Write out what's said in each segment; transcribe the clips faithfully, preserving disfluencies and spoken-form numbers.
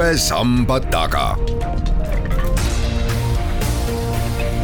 uue samba taga.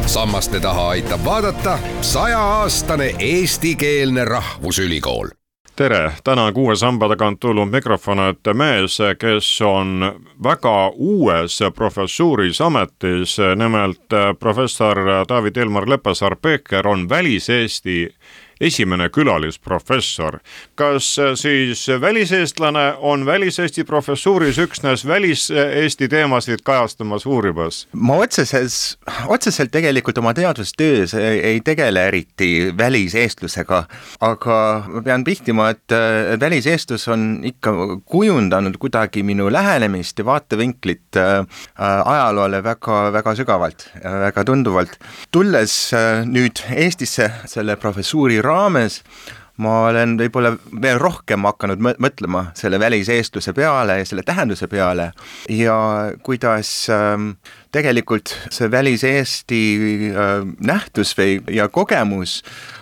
Sammaste taha aitab vaadata sajaaastane eestikeelne rahvusülikool. Tere, täna kuue samba tagant tulnud mikrofon, et mees, kes on väga uues professuuris ametis, nimelt professor David Ilmar Leppäsaar-Peeker on Välis-Eesti esimene külalisprofessor. Kas siis väliseestlane on Välis-Eesti professuuris üksnes Välis-Eesti teemasid kajastamas uurimas? Ma otseses, otseselt tegelikult oma teadustöös ei, ei tegele eriti väliseestlusega, aga ma pean pihtima, et väliseestlus on ikka kujundanud kuidagi minu lähenemist ja vaatevinklit ajaloole väga, väga sügavalt, väga tunduvalt. Tulles nüüd Eestisse selle professuuri raames, ma olen võib-olla veel rohkem hakanud mõtlema selle väliseestluse peale ja selle tähenduse peale ja kuidas ähm, tegelikult see väliseesti äh, nähtus või, ja kogemus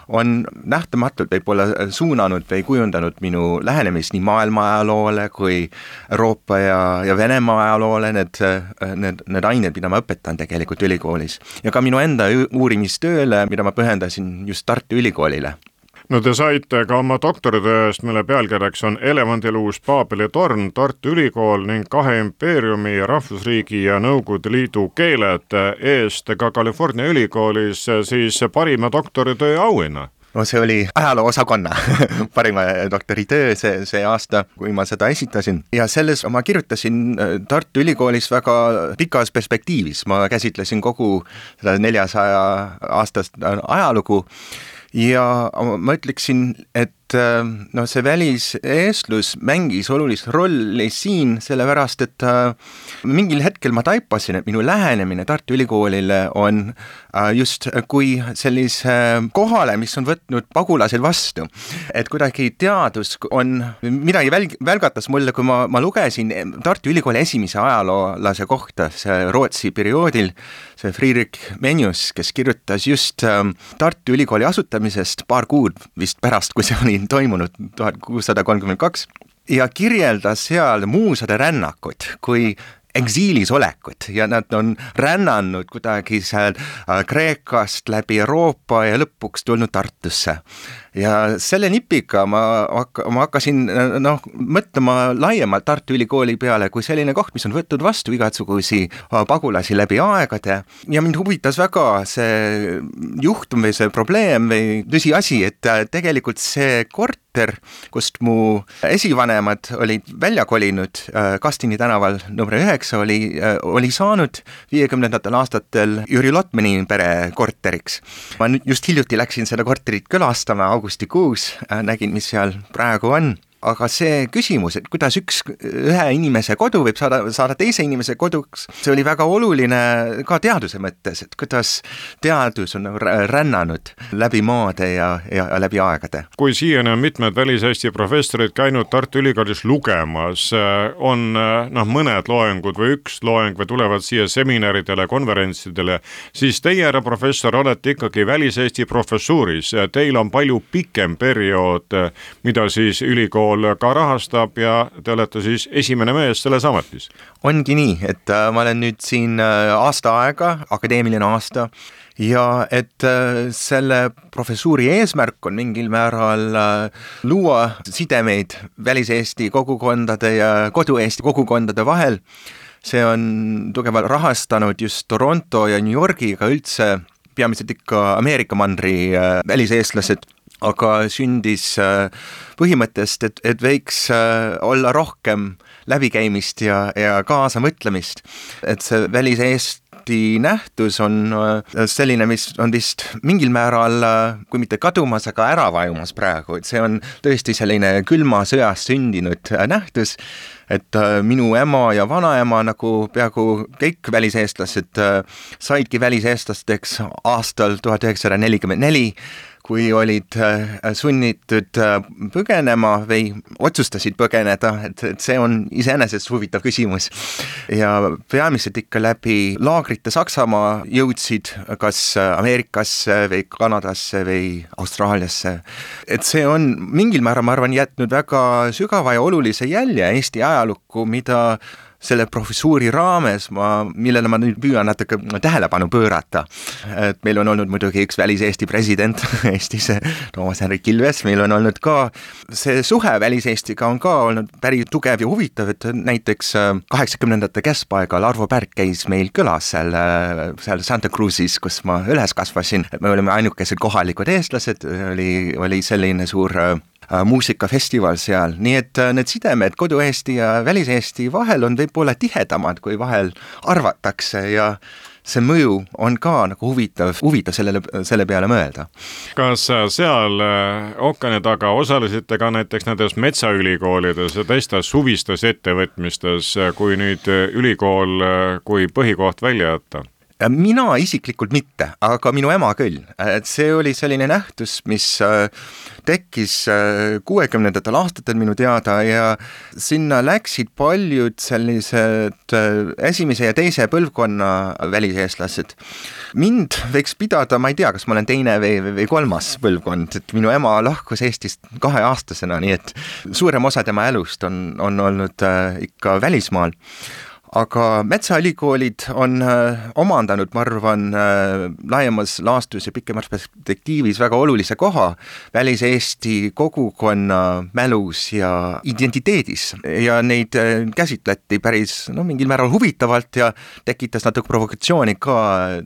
on nähtamatult võib-olla suunanud või kujundanud minu lähenemist nii maailma ajaloole kui Euroopa ja, ja Venemaa ajaloole, need, need, need ained, mida ma õpetan tegelikult ülikoolis. Ja ka minu enda uurimistööle, mida ma pühendasin just Tartu Ülikoolile. No te saite ka oma doktoritööst, mille pealkirjaks on Elevandiluus Paabeli torn, Tartu Ülikool ning kahe impeeriumi, rahvusriigi ja Nõukogude Liidu keeled eest ka California ülikoolis siis parima doktoritöö auhinna. No see oli ajaloo osakonna parima doktoritöö see, see aasta, kui ma seda esitasin. Ja selles ma kirjutasin Tartu Ülikoolis väga pikas perspektiivis. Ma käsitlesin kogu seda neljasaja aastast ajalugu ja ma ütleksin, et no see väliseestlus mängis olulist rolli siin, sellepärast, et mingil hetkel ma taipasin, et minu lähenemine Tartu Ülikoolile on just kui sellise kohale, mis on võtnud pagulased vastu. Et kuidagi teadus on, midagi välg, välgatas mulle, kui ma, ma lugesin Tartu Ülikooli esimese ajaloolase kohta, see Rootsi perioodil, see Friedrich Menius, kes kirjutas just Tartu Ülikooli asutamisest paar kuud vist pärast, kui see oli toimunud tuhat kuussada kolmkümmend kaks ja kirjeldas seal muusade rännakut kui eksiilis olekut ja nad on rännanud kuidagi seal Kreekast läbi Euroopa ja lõpuks tulnud Tartusse. Ja selle nipiga ma, ma hakkasin noh, mõtlema laiemalt Tartu Ülikooli peale kui selline koht, mis on võtnud vastu igatsugusi pagulasi läbi aegade. Ja mind huvitas väga see juhtum või see probleem või tõsiasi, et tegelikult see korter, kust mu esivanemad olid välja kolinud Kastini tänaval number üheksa, oli, oli saanud viiekümnendatel aastatel Jüri Lotmani pere korteriks. Ma nüüd just hiljuti läksin seda korterit külastama augustikuus, nägin, mis seal praegu on. Aga see küsimus, et kuidas üks ühe inimese kodu võib saada, saada teise inimese koduks, see oli väga oluline ka teaduse mõttes, et kuidas teadus on rännanud läbi maade ja, ja läbi aegade. Kui siiani on mitmed Välis-Eesti professorid käinud Tartu Ülikoolis lugemas, on noh, mõned loengud või üks loeng või tulevad siia seminaridele, konverentsidele, siis teie, härra professor, olete ikkagi Välis-Eesti professuuris. Teil on palju pikem periood, mida siis ülikool ka rahastab ja te olete siis esimene mees selles ametis. Ongi nii, et äh, ma olen nüüd siin äh, aasta aega, akadeemiline aasta ja et äh, selle professuuri eesmärk on mingil määral äh, luua sidemeid Välis-Eesti kogukondade ja kodu-Eesti kogukondade vahel. See on tugevalt rahastanud just Toronto ja New Yorgiga üldse peamiselt ikka Ameerika mandri äh, väliseestlased, aga sündis põhimõttest, et, et võiks olla rohkem läbikäimist ja, ja kaasamõtlemist. Et see väliseesti nähtus on selline, mis on vist mingil määral, kui mitte kadumas, aga ära vajumas praegu. Et see on tõesti selline külma sõjas sündinud nähtus, et minu ema ja vanaema, nagu peaaegu kõik väliseestlased, saidki väliseestlasteks aastal tuhat üheksasada nelikümmend neli, kui olid sunnitud põgenema või otsustasid põgeneda, et, et see on iseenesest huvitav küsimus. Ja peamiselt ikka läbi laagrite Saksamaa jõudsid kas Ameerikasse või Kanadasse või Austraaliasse. Et see on mingil määral, ma arvan, jätnud väga sügava ja olulise jälje Eesti ajalukku, mida selle professuuri raames ma, millele ma nüüd püüan natuke tähelepanu pöörata. Et meil on olnud muidugi üks välis-Eesti president Eestis, Toomas Hendrik Ilves, meil on olnud ka see suhe välis-Eestiga on ka olnud päris tugev ja huvitav, et näiteks kaheksakümnendate keskpaigal Arvo Pärk käis meil külas seal, seal Santa Cruzis, kus ma üles kasvasin. Me olime ainukesed kohalikud eestlased, oli, oli selline suur muusikafestival seal, nii et need sidemed kodu-Eesti ja välis-Eesti vahel on võib-olla tihedamad, kui vahel arvatakse ja see mõju on ka nagu huvitav, huvitav sellele, selle peale mõelda. Kas seal ookeani taga osalesite ka näiteks nendes metsaülikoolides ja teistes suvistes ettevõtmistes, kui nüüd ülikool kui põhikoht välja jätta? Mina isiklikult mitte, aga minu ema küll. Et see oli selline nähtus, mis tekkis kuuekümnendatel aastatel minu teada ja sinna läksid paljud sellised esimese ja teise põlvkonna väliseestlased. Mind võiks pidada, ma ei tea, kas ma olen teine või, või kolmas põlvkond, et minu ema lahkus Eestist kaheaastasena, nii et suurem osa tema elust on, on olnud ikka välismaal. Aga metsaülikoolid on äh, omandanud, ma arvan, äh, laiemas laastus ja pikemas perspektiivis väga olulise koha välis-Eesti kogukonna mälus ja identiteedis ja neid äh, käsitleti päris no, mingil määral huvitavalt ja tekitas natuke provokatsiooni ka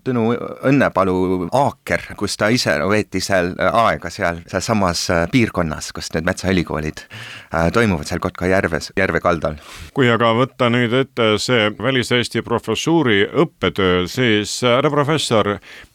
Tõnu Õnnepalu Aaker, kus ta ise veeti seal aega seal, seal samas äh, piirkonnas, kus need metsaülikoolid äh, toimuvad seal Kotka järves, järve kaldal. Kui aga võtta nüüd ette see välis-Eesti professuuri õppetöö, siis härra professor,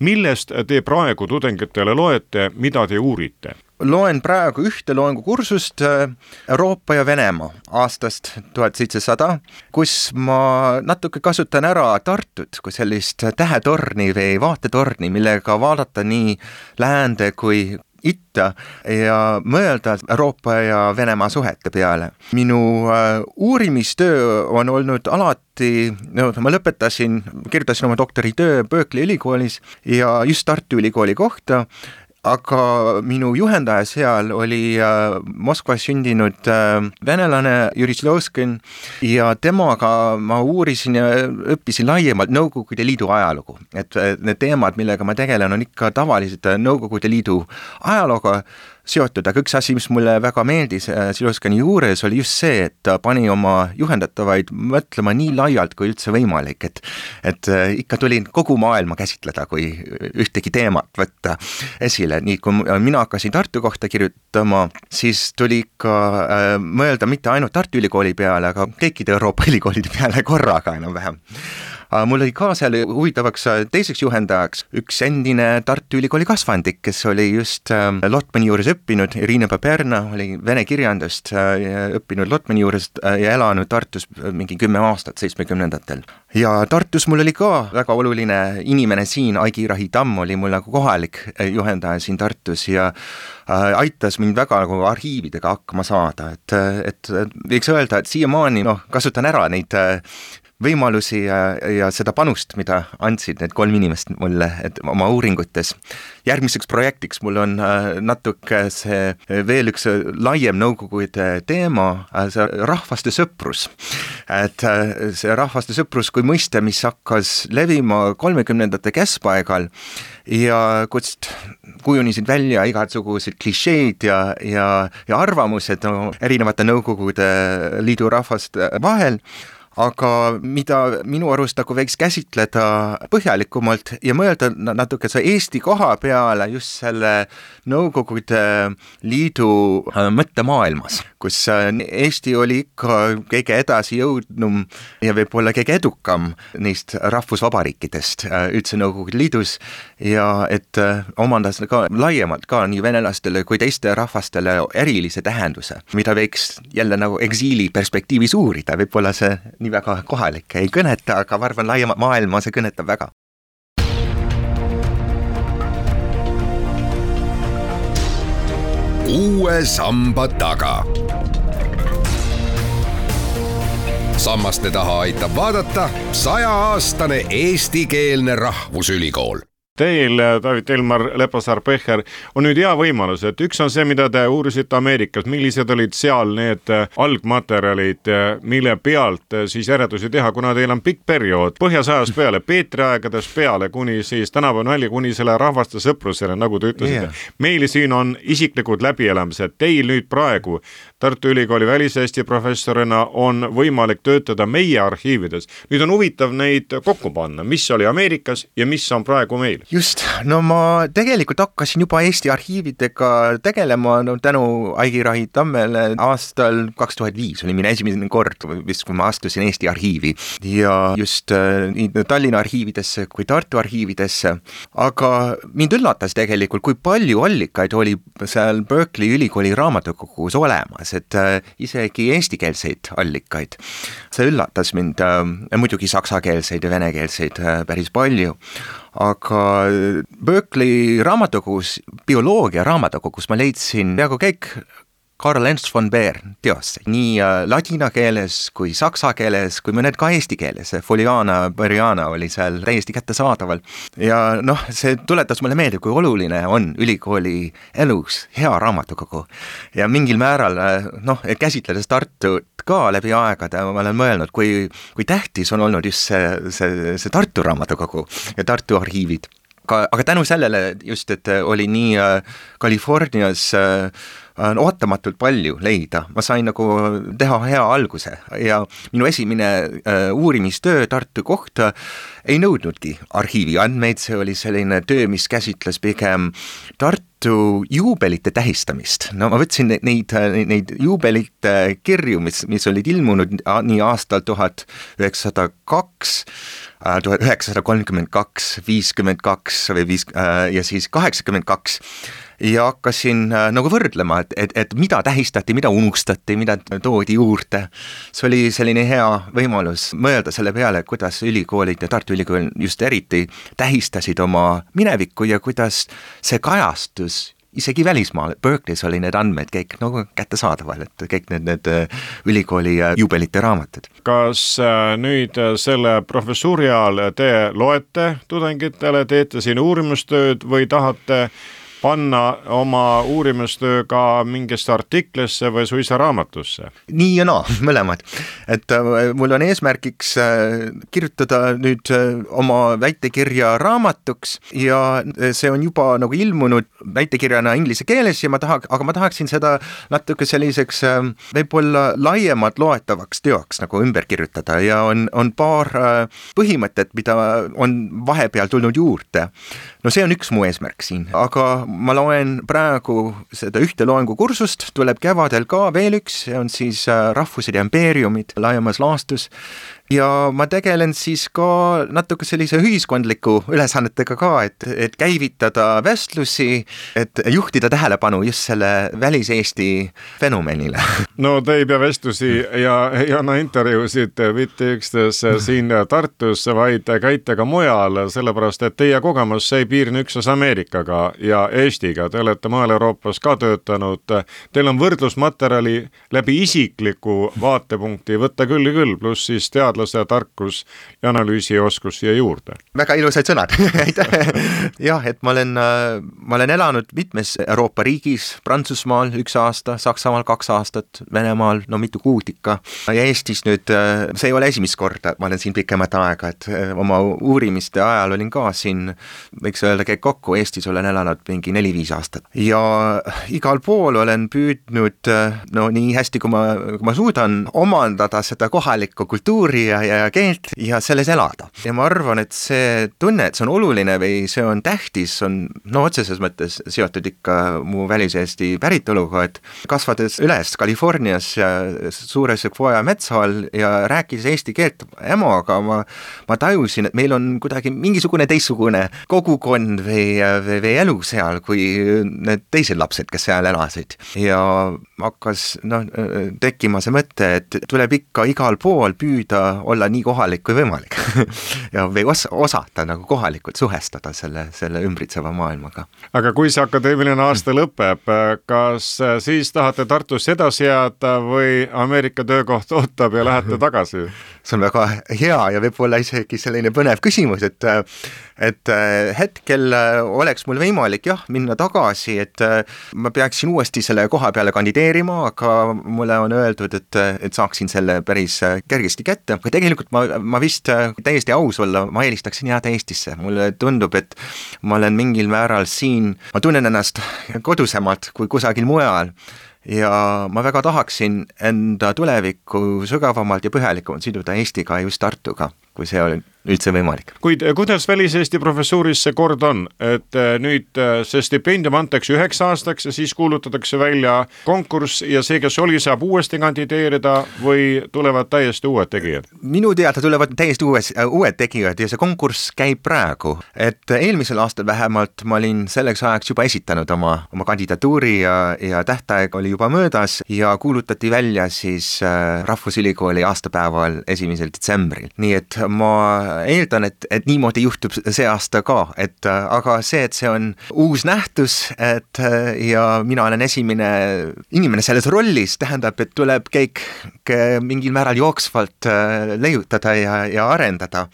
millest te praegu tudengitele loete, mida te uurite? Loen praegu ühte loengukursust Euroopa ja Venemaa aastast tuhat seitsesada, kus ma natuke kasutan ära Tartut kui sellist tähetorni või vaatetorni, millega vaadata nii läände kui itta ja mõelda Euroopa ja Venemaa suhete peale. Minu äh, uurimistöö on olnud alati, no, ma lõpetasin, kirjutasin oma doktoritöö Berkeley ülikoolis ja just Tartu ülikooli kohta, aga minu juhendaja seal oli äh, Moskvas sündinud äh, venelane Jüri Slovkin ja temaga ma uurisin ja õppisin laiemalt Nõukogude Liidu ajalugu. Et need teemad, millega ma tegelen, on ikka tavaliselt Nõukogude Liidu ajalooga seotud, aga üks asi, mis mulle väga meeldis Slovkini juures, oli just see, et ta pani oma juhendatavaid mõtlema nii laialt kui üldse võimalik, et, et ikka tuli kogu maailma käsitleda, kui ühtegi teemat võtta esile. Nii kui mina hakkasin Tartu kohta kirjutama, siis tuli ikka äh, mõelda mitte ainult Tartu ülikooli peale, aga kõikide Euroopa ülikoolide peale korraga enam-vähem. Mul oli ka seal huvitavaks teiseks juhendajaks üks endine Tartu ülikooli kasvandik, kes oli just Lotmani juures õppinud, Irina Paperna oli vene kirjandust õppinud Lotmani juures ja elanud Tartus mingi kümme aastat seitsmekümnendatel. Ja Tartus mul oli ka väga oluline inimene siin, Aigi Rahi Tamm oli mul nagu kohalik juhendaja siin Tartus ja aitas mind väga nagu arhiividega hakkama saada, et, et võiks öelda, et siiamaani no, kasutan ära neid võimalusi ja, ja seda panust, mida andsid need kolm inimest mulle et oma uuringutes. Järgmiseks projektiks mul on natuke see veel üks laiem Nõukogude teema, see rahvaste sõprus. Et see rahvaste sõprus kui mõiste, mis hakkas levima kolmekümnendate keskpaigal ja kust kujunisid välja igasugused klišeed ja, ja, ja arvamused no, erinevate Nõukogude Liidu rahvaste vahel, aga mida minu arust nagu võiks käsitleda põhjalikumalt ja mõelda natuke see Eesti koha peale just selle Nõukogude Liidu mõttemaailmas, kus Eesti oli ikka kõige edasi jõudnum ja võib-olla kõige edukam neist rahvusvabariikidest üldse Nõukogude Liidus ja et omandas ka laiemalt ka nii venelastele kui teiste rahvastele erilise tähenduse, mida võiks jälle nagu eksiili perspektiivis uurida, võib-olla see nii väga kohalik ei kõneta, aga ma arvan laiemat maailma see kõnetab väga. Uue samba taga. Sammaste taha aitab vaadata sajaaastane eestikeelne rahvusülikool. Teil, David Elmar Leppasaar-Pecher, on nüüd hea võimalus, et üks on see, mida te uurisite Ameerikas, millised olid seal need algmaterjalid, mille pealt siis järeldusi teha, kuna teil on pikk periood põhjasajast peale, Peetri aegadest peale, kuni siis tänapäeval välja, kuni selle rahvaste sõprusele, nagu te ütlesite. Yeah. Meil siin on isiklikud läbielamised. Teil nüüd praegu Tartu Ülikooli väliseesti professorina on võimalik töötada meie arhiivides. Nüüd on huvitav neid kokku panna, mis oli Ameerikas ja mis on praegu meil. Just, no ma tegelikult hakkasin juba Eesti arhiividega tegelema no, tänu Aigi Rahi Tammele aastal kaks tuhat viis oli minu esimene kord, vist kui ma astusin Eesti arhiivi ja just nii Tallinna arhiividesse kui Tartu arhiividesse, aga mind üllatas tegelikult, kui palju allikaid oli seal Berkeley ülikooli raamatukogus olemas, et isegi eestikeelseid allikaid. See üllatas mind, muidugi saksakeelseid ja venekeelseid päris palju, aga Berkeley raamatukogus, bioloogia raamatukogus ma leidsin peaaegu kõik Karl Ernst von Baer teosse, nii ladina keeles kui saksa keeles, kui mõned ka eesti keeles. Foliana, Beriana oli seal täiesti kättesaadaval. Ja noh, see tuletas mulle meelde, kui oluline on ülikooli elus hea raamatukogu. Ja mingil määral, noh, käsitledes Tartut ka läbi aegade, ma olen mõelnud, kui, kui tähtis on olnud just see, see, see Tartu raamatukogu ja Tartu arhiivid. Aga, aga tänu sellele just, et oli nii Californias on ootamatult palju leida. Ma sain nagu teha hea alguse ja minu esimene uh, uurimistöö Tartu kohta ei nõudnudki arhiivi andmeid, see oli selline töö, mis käsitles pigem Tartu juubelite tähistamist. No ma võtsin neid, neid juubelite kirju, mis, mis olid ilmunud nii aastal tuhat üheksasada kaks, tuhat üheksasada kolmkümmend kaks, viiskümmend kaks või viis, ja siis kaheksakümmend kaks ja hakkasin nagu võrdlema, et, et, et mida tähistati, mida unustati, mida toodi juurde. See oli selline hea võimalus mõelda selle peale, kuidas ülikoolid ja Tartu Ülikool just eriti tähistasid oma minevikku ja kuidas see kajastus isegi välismaal. Berkeley's oli need andmed kõik nagu kättesaadaval, et kõik need, need ülikooli juubelite raamatud. Kas nüüd selle professuuri ajal te loete tudengitele, teete siin uurimustööd või tahate panna oma uurimustöö ka mingisse artiklisse või suisa raamatusse? Nii ja naa, mõlemad. Et mul on eesmärgiks kirjutada nüüd oma väitekirja raamatuks ja see on juba nagu ilmunud väitekirjana inglise keeles ja ma tahaks, aga ma tahaksin seda natuke selliseks võib-olla laiemalt loetavaks teoks nagu ümber kirjutada ja on, on paar põhimõtet, mida on vahepeal tulnud juurde. No see on üks mu eesmärk siin, aga ma loen praegu seda ühte loengukursust, tuleb kevadel ka veel üks, see on siis Rahvused ja impeeriumid laiemas laastus ja ma tegelen siis ka natuke sellise ühiskondliku ülesannetega ka, et, et käivitada vestlusi, et juhtida tähelepanu just selle väliseesti fenomenile. No te ei pea vestlusi ja ei anna intervjuusid mitte ükstes siin Tartus, vaid käite ka mujal, sellepärast et teie kogemus ei piirne üksnes Ameerikaga ja Eestiga. Te olete maal Euroopas ka töötanud. Teil on võrdlusmaterjali läbi isikliku vaatepunkti võtta küll ja küll, pluss siis tead tarkus ja analüüsioskus siia juurde. Väga ilusad sõnad. Jah, et ma olen, ma olen elanud mitmes Euroopa riigis, Prantsusmaal üks aasta, Saksamaal kaks aastat, Venemaal, no mitu kuud ikka. Ja Eestis nüüd, see ei ole esimest korda, ma olen siin pikemat aega, et oma uurimiste ajal olin ka siin, võiks öelda, käib kokku, Eestis olen elanud mingi neli-viis aastat. Ja igal pool olen püüdnud, no nii hästi, kui ma, kui ma suudan omandada seda kohalikku kultuuri ja, ja keelt ja selles elada. Ja ma arvan, et see tunne, et see on oluline või see on tähtis, on no otseses mõttes seotud ikka mu väliseesti päritoluga, et kasvades üles Californias ja suure Sequoia metsa all ja rääkides eesti keelt emaga, ma, ma tajusin, et meil on kuidagi mingisugune teistsugune kogukond või, või, või elu seal kui need teised lapsed, kes seal elasid. Ja hakkas no, tekkima see mõte, et tuleb ikka igal pool püüda olla nii kohalik kui võimalik ja või os- osata nagu kohalikult suhestada selle, selle ümbritseva maailmaga. Aga kui see akadeemiline aasta lõpeb, kas siis tahate Tartus edasi jääda või Ameerika töökoht ootab ja lähete tagasi? See on väga hea ja võib-olla isegi selline põnev küsimus, et et hetkel oleks mul võimalik jah, minna tagasi, et ma peaksin uuesti selle koha peale kandideerima, aga mulle on öeldud, et, et saaksin selle päris kergesti kätte. Aga tegelikult ma, ma vist täiesti aus olla, ma eelistaksin jääda Eestisse. Mulle tundub, et ma olen mingil määral siin, ma tunnen ennast kodusemalt kui kusagil mujal. Ja ma väga tahaksin enda tulevikku sügavamalt ja põhjalikumalt siduda Eestiga just Tartuga, kui see oli üldse võimalik. Kuid kuidas väliseesti professuuris see kord on, et nüüd see stipendium antakse üheks aastaks ja siis kuulutatakse välja konkurss ja see, kes oli, saab uuesti kandideerida või tulevad täiesti uued tegijad? Minu teada tulevad täiesti uues, uued tegijad ja see konkurss käib praegu. Et eelmisel aastal vähemalt ma olin selleks ajaks juba esitanud oma, oma kandidatuuri ja, ja tähtaeg oli juba möödas ja kuulutati välja siis Rahvusülikooli aastapäeval esimesel detsembril. Nii et ma eeldan, et, et niimoodi juhtub see aasta ka, et aga see, et see on uus nähtus, et ja mina olen esimene inimene selles rollis, tähendab, et tuleb kõik mingil määral jooksvalt leiutada ja, ja arendada.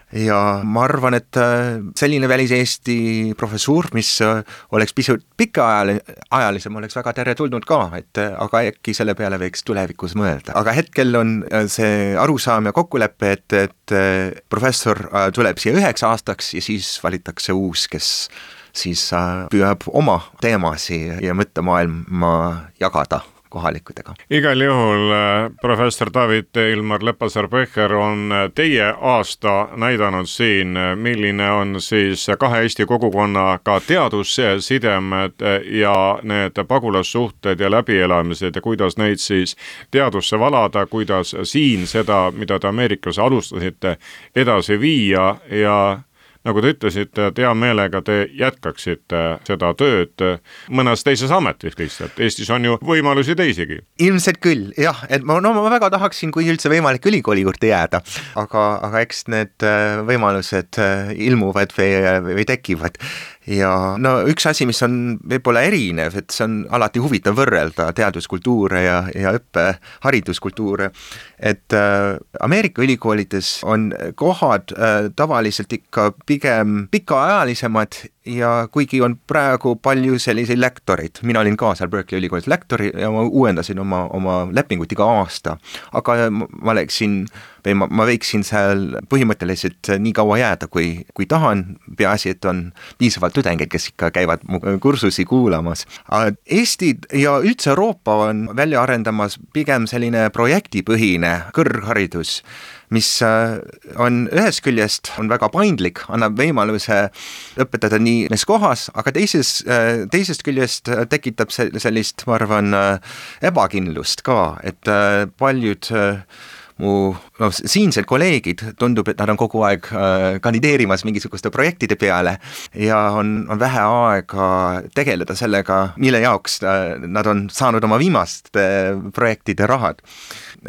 Ja ma arvan, et selline väliseesti professuur, mis oleks pisut pikaajalisem, oleks väga teretulnud ka, et aga äkki selle peale võiks tulevikus mõelda. Aga hetkel on see arusaam ja kokkulepe, et, et professor tuleb siia üheks aastaks ja siis valitakse uus, kes siis püüab oma teemasi ja mõttemaailma jagada kohalikudega. Igal juhul professor David Ilmar Lepasar-Pecher on teie aasta näidanud siin, milline on siis kahe Eesti kogukonnaga teadussidemed ja need pagulassuhted ja läbielamised ja kuidas neid siis teadusse valada, kuidas siin seda, mida te Ameerikas alustasite, edasi viia ja nagu te ütlesite, et hea meelega te jätkaksite seda tööd mõnes teises ametis lihtsalt. Eestis on ju võimalusi teisigi. Ilmselt küll, jah, et ma, no, ma väga tahaksin, kui üldse võimalik ülikooli juurde jääda, aga, aga eks need võimalused ilmuvad või, või tekivad. Ja no üks asi, mis on võib-olla erinev, et see on alati huvitav võrrelda teaduskultuure ja, ja õppe hariduskultuure, et äh, Ameerika ülikoolides on kohad äh, tavaliselt ikka pigem pikaajalisemad ja kuigi on praegu palju selliseid lektoreid, mina olin ka seal Berkeley ülikoolis lektori ja ma uuendasin oma, oma lepingut iga aasta, aga ma läksin või ma, ma võiksin seal põhimõtteliselt nii kaua jääda, kui, kui tahan, peaasi, et on piisavalt tudengeid, kes ikka käivad kursusi kuulamas. Eesti ja üldse Euroopa on välja arendamas pigem selline projektipõhine kõrgharidus, mis on ühest küljest on väga paindlik, annab võimaluse õpetada nii nes kohas, aga teises, teisest küljest tekitab sellist, ma arvan, ebakindlust ka, et paljud mu no, siinsed kolleegid tundub, et nad on kogu aeg äh, kandideerimas mingisuguste projektide peale ja on, on vähe aega tegeleda sellega, mille jaoks äh, nad on saanud oma viimaste äh, projektide rahad.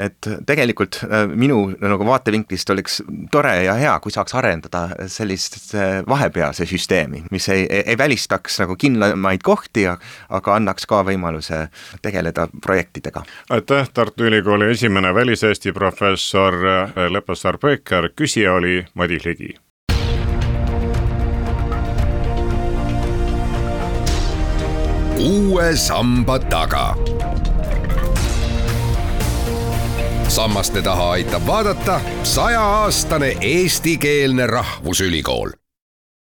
Et tegelikult äh, minu nagu vaatevinklist oleks tore ja hea, kui saaks arendada sellist äh, vahepealse süsteemi, mis ei, ei, ei välistaks nagu kindlamaid kohti, aga annaks ka võimaluse tegeleda projektidega. Aitäh, Tartu Ülikooli esimene väliseesti professor Lepasar-Pecher, küsija oli Madis Ligi. Uue samba taga. Sammaste taha aitab vaadata sajaaastane eestikeelne rahvusülikool.